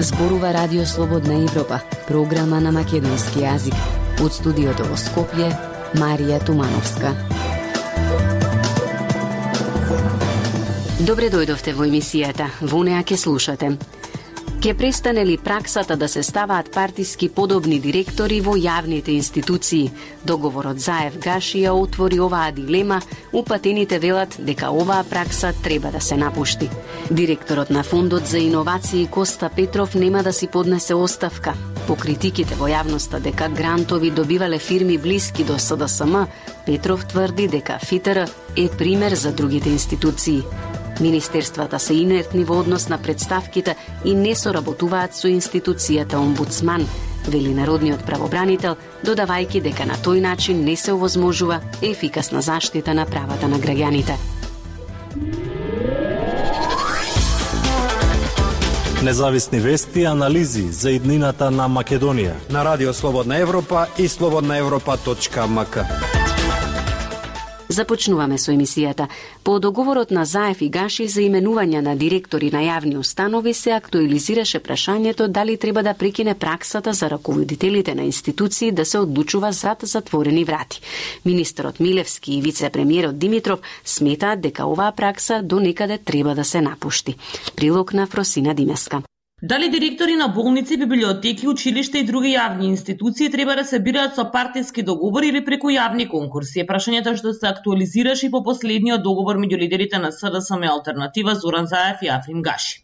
Зборува Радио Слободна Европа, програма на македонски јазик. Од студиото во Скопје, Марија Тумановска. Добре дојдовте во емисијата. Во неа ќе слушате: ке престане ли праксата да се ставаат партиски подобни директори во јавните институции? Договорот Заев-Гаши ја отвори оваа дилема, упатените велат дека оваа пракса треба да се напушти. Директорот на Фондот за иновации Коста Петров нема да си поднесе оставка. По критиките во јавноста дека грантови добивале фирми блиски до СДСМ, Петров тврди дека ФИТР е пример за другите институции. Министерствата се инертни во однос на представките и не соработуваат со институцијата омбудсман, вели народниот правобранител, додавајќи дека на тој начин не се овозможува ефикасна заштита на правата на граѓаните. Независни вести и анализи за иднината на Македонија на Радио Слободна Европа и slobodnaevropa.mk. Започнуваме со емисијата. По договорот на Заев и Гаши за именување на директори на јавни установи се актуализираше прашањето дали треба да прекине праксата за раководителите на институции да се одлучува зад затворени врати. Министерот Милевски и вице-премиерот Димитров сметаат дека оваа пракса до некаде треба да се напушти. Прилог на Фросина Димеска. Дали директори на болници, библиотеки, училишта и други јавни институции треба да се бираат со партиски договори или преку јавни конкурси? Е прашањето што се актуализираше и по последниот договор меѓу лидерите на СДСМ Алтернатива Зоран Заев и Африм Гаши.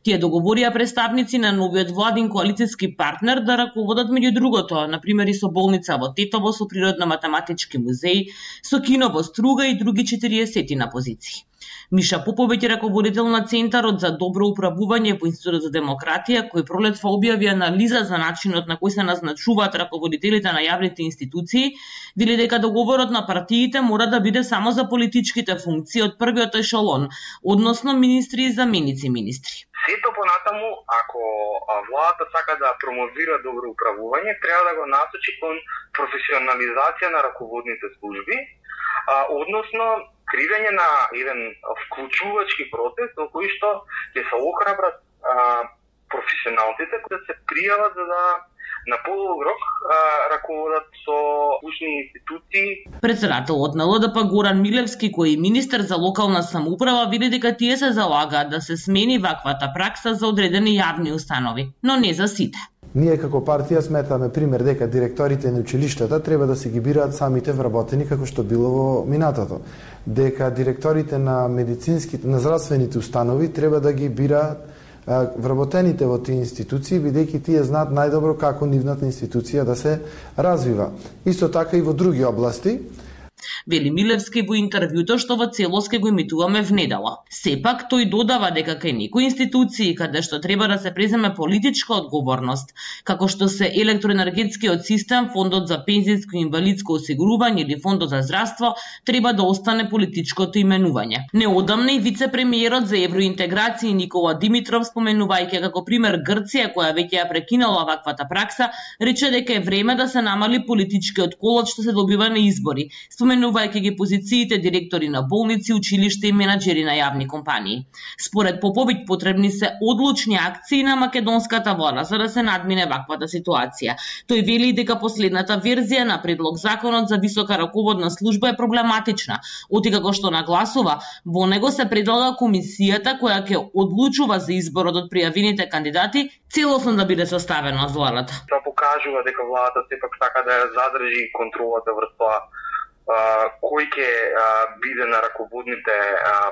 Тие договорија представници на новиот владин коалициски партнер да раководат меѓу другото, например и со болница во Тетово, со природно-математички музеј, со кино во Струга и други 40 на позиции. Миша Поповиќ е раководител на Центарот за добро управување во Институтот за демократија, кој пролетва објави анализа за начинот на кој се назначуваат раководителите на јавните институции, вели дека договорот на партиите мора да биде само за политичките функции од првиот ешелон, односно министри и заменици министри. Сето понатаму, ако владата сака да промовира добро управување, треба да го насочи кон професионализација на раководните служби, односно креирање на еден вклучувачки процес во кој што ќе се охрабрат професионалците кои да се пријават за да на подолг рок раководат со ушни институции. Председателот на ЛДП Горан Милевски, кој е министер за локална самоуправа, види дека тие се залагаат да се смени ваквата пракса за одредени јавни установи, но не за сите. Ние како партија сметаме пример дека директорите на училиштата треба да се ги бираат самите вработени како што било во минатото. Дека директорите на медицинските, на здравствените установи треба да ги бираат вработените во тие институции, бидејќи тие знаат најдобро како нивната институција да се развива. Исто така и во други области. Вели Милевски во интервјуто што во целост ке го емитуваме внедела. Сепак тој додава дека кај некои институции каде што треба да се преземе политичка одговорност, како што се електроенергетскиот систем, Фондот за пензијско и инвалидско осигурување или Фондот за здравство, треба да остане политичкото именување. Неодамна и вице-премиерот за евроинтеграција Никола Димитров, споменувајќи како пример Грција, која веќе ја прекинала ваквата пракса, рече дека е време да се намали политичкиот колот што се добива на избори, споменувајќи ги позициите директори на болници, училишта и менаџери на јавни компании. Според Поповиќ потребни се одлучни акции на македонската влада за да се надмине ваквата ситуација. Тој вели дека последната верзија на предлог законот за висока раководна служба е проблематична, оти како што нагласува, во него се предлага комисијата која ќе одлучува за изборот од пријавените кандидати целосно да биде составена од владата. Тоа покажува дека владата сепак сака да ја задржи контролата врз тоа кој ќе биде на раководните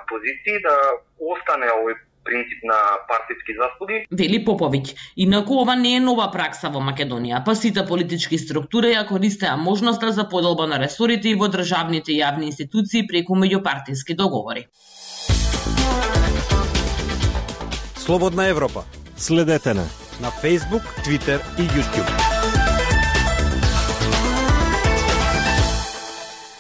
позиции, да остане овој принцип на партиски заслуги. Вели Поповиќ, инаку ова не е нова пракса во Македонија, па сите политички структури ја користеа можноста за поделба на ресорите и во државните јавни институции преку меѓупартиски договори. Слободна Европа. Следете на Facebook, Twitter и YouTube.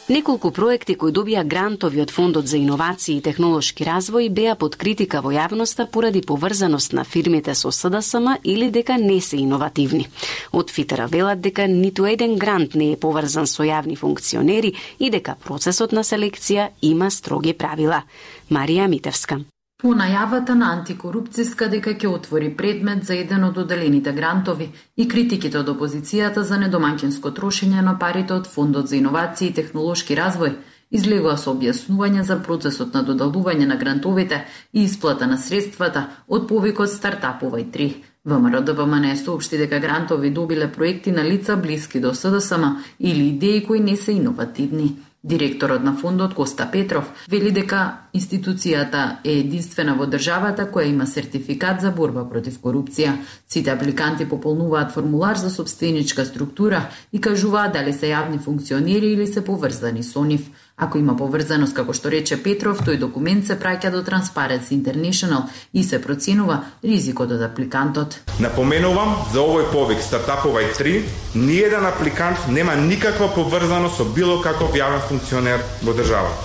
Неколку проекти кои добија грантови од Фондот за иновации и технолошки развој беа под критика во јавноста поради поврзаност на фирмите со СДСМ или дека не се иновативни. Од ФИТР велат дека ниту еден грант не е поврзан со јавни функционери и дека процесот на селекција има строги правила. Марија Митевска. По најавата на антикорупцијска дека ќе отвори предмет за еден од доделените грантови и критиките од опозицијата за недомаќинско трошење на парите од Фондот за иновации и технолошки развој, излегува со објаснување за процесот на додалување на грантовите и исплата на средствата од повикот Стартапувај 3. ВМРО-ДПМНЕ соопшти дека грантови добиле проекти на лица блиски до СДСМ или идеи кои не се иновативни. Директорот на фондот Коста Петров вели дека институцијата е единствена во државата која има сертификат за борба против корупција. Сите апликанти пополнуваат формулар за сопстеничка структура и кажуваат дали се јавни функционери или се поврзани со нив. Ако има поврзаност, како што рече Петров, тој документ се праќа до Transparency International и се проценува ризикот од апликантот. Напоменувам за овој повик Стартапувај 3, ниеден апликант нема никаква поврзаност со било каков јавен функционер во државата.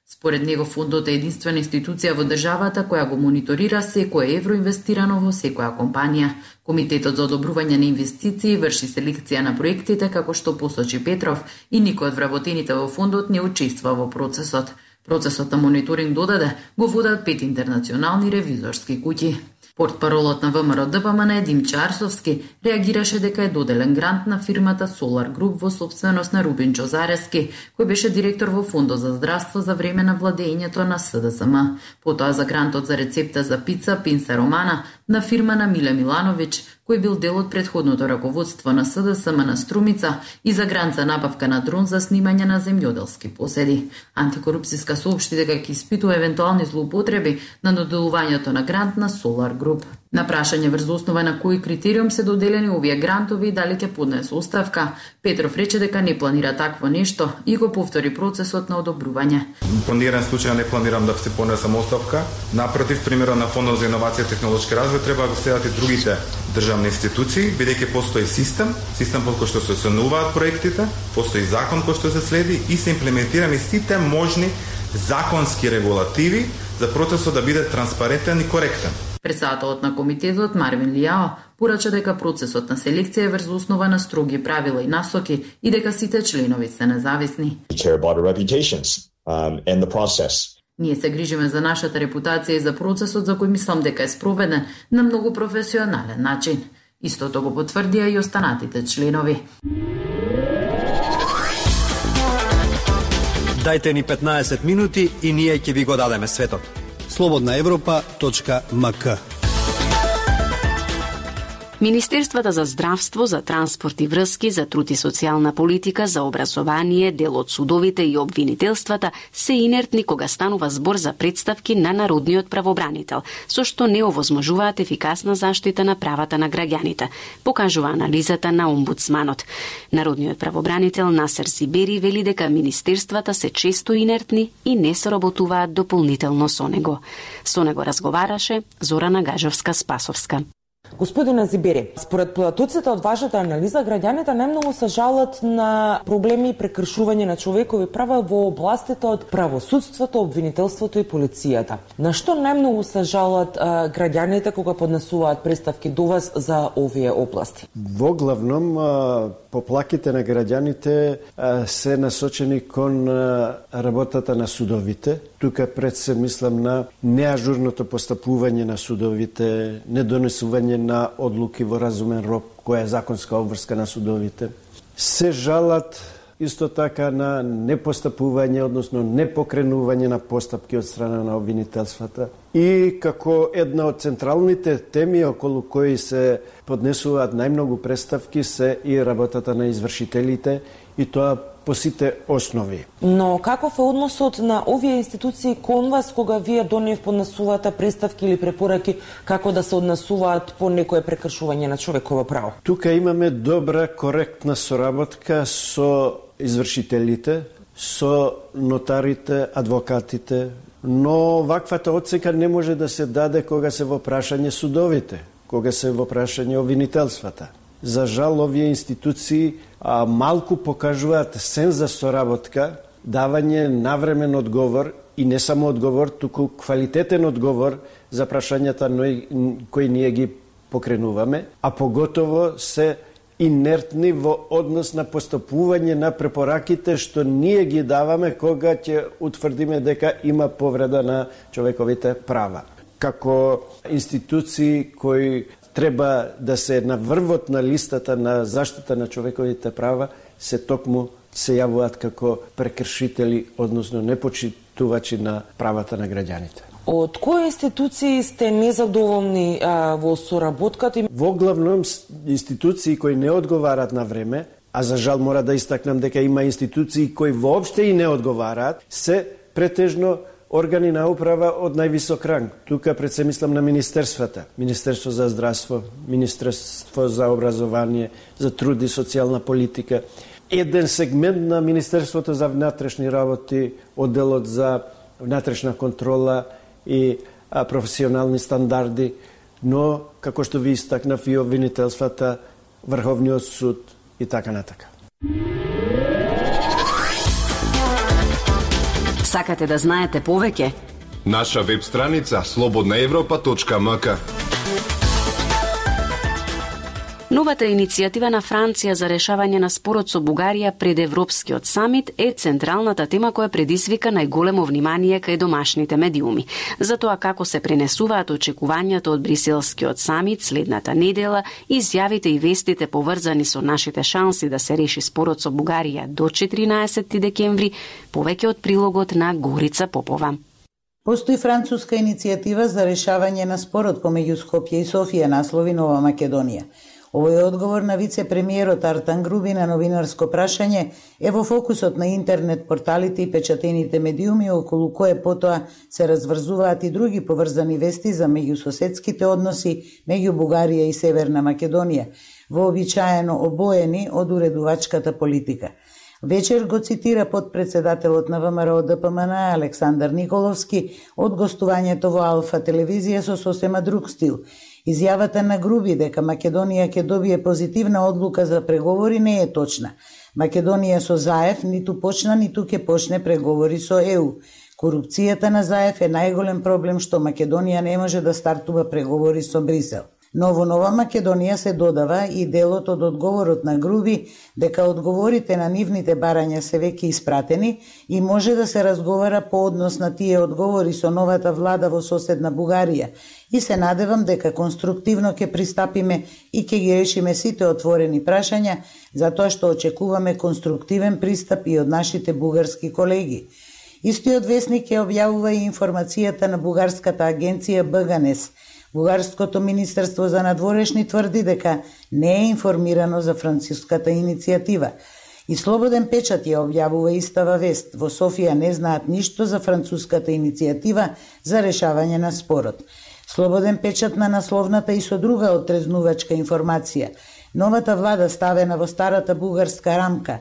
Според него фондот е единствена институција во државата која го мониторира секое евро инвестирано во секоја компанија. Комитетот за одобрување на инвестиции врши селекција на проектите, како што посочи Петров, и никој од вработените во фондот не учества во процесот. Процесот на мониторинг додаде го водат 5 интернационални ревизорски куќи. Портпаролот на ВМРО-ДПМНЕ Димче Арсовски реагираше дека е доделен грант на фирмата Solar Group во собственост на Рубин Чозарески, кој беше директор во Фондот за здравство за време на владеењето на СДСМ. Потоа за грантот за рецепта за пица Пинса Романа на фирма на Миле Милановиќ, кој бил дел од претходното раководство на СДСМ на Струмица, и за грант за набавка на дрон за снимање на земјоделски поседи. Антикорупцијска соопшти дека ќе испитува евентуални злоупотреби на доделувањето на грант на Solar Group. На прашање врз основа на кој критериум се доделени овие грантови и дали ќе поднесе оставка, Петров рече дека не планира такво нешто и го повтори процесот на одобрување. По ниеден случај не планирам да се поднесам оставка. Напротив, примерот на Фондот за иновација и технолошки развој треба да го следат и другите државни институции, бидејќи постои систем по кој што се оценуваат проектите, постои закон кој што се следи и се имплементирани сите можни законски регулативи за процесот да биде транспарентен и коректен. Председателот на комитетот Марвин Лијао порача дека процесот на селекција е врз основа на строги правила и насоки и дека сите членови се независни. Ние се грижиме за нашата репутација и за процесот за кој мислам дека е спроведен на многу професионален начин. Истото го потврдија и останатите членови. Дајте ни 15 минути и ние ќе ви го дадеме светот. slobodnaevropa.mk. Министерствата за здравство, за транспорт и врски, за труд и социјална политика, за образование, дел од судовите и обвинителствата се инертни кога станува збор за представки на народниот правобранител, со што не овозможуваат ефикасна заштита на правата на граѓаните, покажува анализата на омбудсманот. Народниот правобранител Насер Сибери вели дека министерствата се често инертни и не соработуваат дополнително со него. Со него разговараше Зорана Гажовска-Спасовска. Господине Зибери, според податоците од вашата анализа, граѓаните најмногу се жалат на проблеми и прекршување на човекови права во областите од правосудството, обвинителството и полицијата. На што најмногу се жалат граѓаните кога поднесуваат представки до вас за овие области? Во главном, поплаките на граѓаните се насочени кон работата на судовите. Тука пред се мислам на неажурното постапување на судовите, недонесување на одлуки во разумен рок, која е законска обврска на судовите. Се жалат исто така на непостапување, односно непокренување на постапки од страна на обвинителствата. И како една од централните теми околу кои се поднесуваат најмногу представки се и работата на извршителите, и тоа по сите основи. Но каков е односот на овие институции кон вас кога вие до нив поднесувате представки или препораки како да се однесуваат по некое прекршување на човеково право? Тука имаме добра, коректна соработка со извршителите, со нотарите, адвокатите, но ваквата оцека не може да се даде кога се во прашање судовите, кога се во прашање обвинителствата. За жал, овие институции малку покажуваат сен за соработка, давање навремен одговор и не само одговор, туку квалитетен одговор за прашањата кои ние ги покренуваме, а поготово се инертни во однос на постапување на препораките што ние ги даваме кога ќе утврдиме дека има повреда на човековите права. како институции кои треба да се на врвот на листата на заштита на човековите права, се токму се јавуваат како прекршители, односно непочитувачи на правата на граѓаните. Од кои институции сте незадоволни во соработката? Во главном институции кои не одговараат на време, а за жал мора да истакнам дека има институции кои воопште и не одговараат, се претежно органи на управа од највисок ранг. Тука пред се мислам на министерствата. Министерство за здравство, Министерство за образование, за труд и социјална политика. Еден сегмент на Министерството за внатрешни работи, одделот за внатрешна контрола и професионални стандарди, но, како што ви истакнав, и обвинителствата, Врховниот суд и така натака. Сакате да знаете повеќе? Наша веб страница slobodnaevropa.mk. Новата иницијатива на Франција за решавање на спорот со Бугарија пред Европскиот самит е централната тема која предизвика најголемо внимание кај домашните медиуми. За тоа како се пренесуваат очекувањата од Бриселскиот самит следната недела, изјавите и вестите поврзани со нашите шанси да се реши спорот со Бугарија до 14 декември, повеќе од прилогот на Горица Попова. Постои француска иницијатива за решавање на спорот помеѓу Скопје и Софија, наслови Нова Македонија. Овој одговор на вице-премиерот Артан Груби на новинарско прашање е во фокусот на интернет порталите и печатените медиуми, околу кое потоа се разврзуваат и други поврзани вести за меѓусоседските односи меѓу Бугарија и Северна Македонија, вообичаено обоени од уредувачката политика. Вечер го цитира подпредседателот на ВМРО ДПМН Александар Николовски од гостувањето во Алфа телевизија со сосема друг стил. Изјавата на Груби дека Македонија ќе добие позитивна одлука за преговори не е точна. Македонија со Заев ниту почна, ниту ќе почне преговори со ЕУ. Корупцијата на Заев е најголем проблем што Македонија не може да стартува преговори со Брисел. Но во Нова Македонија се додава и делот од одговорот на Груби дека одговорите на нивните барања се веќе испратени и може да се разговара по однос на тие одговори со новата влада во соседна Бугарија и се надевам дека конструктивно ќе пристапиме и ќе ги решиме сите отворени прашања, затоа што очекуваме конструктивен пристап и од нашите бугарски колеги. Истиот весник ја објавува и информацијата на бугарската агенција БГНЕС. Бугарското министерство за надворешни тврди дека не е информирано за француската иницијатива. И Слободен печат ја објавува истава вест. Во Софија не знаат ништо за француската иницијатива за решавање на спорот. Слободен печат на насловната и со друга отрезнувачка информација. Новата влада ставена во старата бугарска рамка.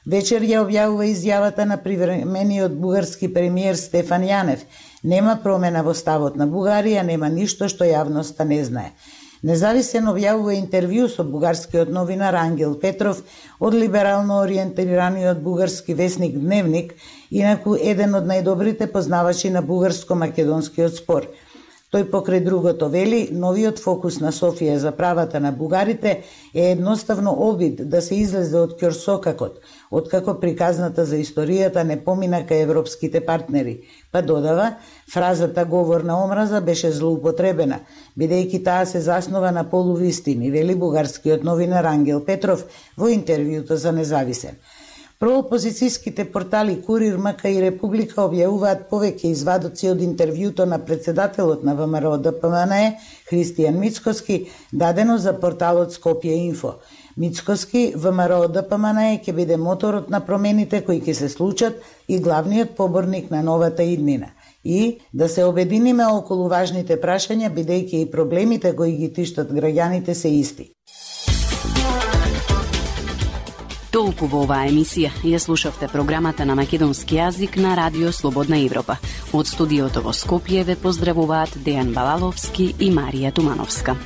Вечер ја објавува изјавата на привремениот бугарски премиер Стефан Јанев. Нема промена во ставот на Бугарија, нема ништо што јавноста не знае. Независен објавува интервју со бугарскиот новинар Ангел Петров од либерално ориентираниот бугарски весник Дневник, инаку еден од најдобрите познавачи на бугарско-македонскиот спор. Тој покрај другото вели, новиот фокус на Софија за правата на бугарите е едноставно обид да се излезе од ќорсокакот, откако приказната за историјата не помина кај европските партнери. Па додава, фразата говор на омраза беше злоупотребена, бидејќи таа се заснова на полувистини, вели бугарскиот новинар Ангел Петров во интервјуто за Независен. Проопозицијските портали Курир, МК и Република објавуваат повеќе извадоци од интервјуто на председателот на ВМРО ДПМН Христијан Мицкоски, дадено за порталот Скопје Инфо. Мицкоски, ВМРО ДПМН ќе биде моторот на промените кои ќе се случат и главниот поборник на новата иднина. И да се обединиме околу важните прашања, бидејќи и проблемите кои ги тиштат граѓаните се исти. Толку во оваа емисија. Ја слушавте програмата на македонски јазик на Радио Слободна Европа. Од студиото во Скопје ве поздравуваат Дејан Балаловски и Марија Тумановска.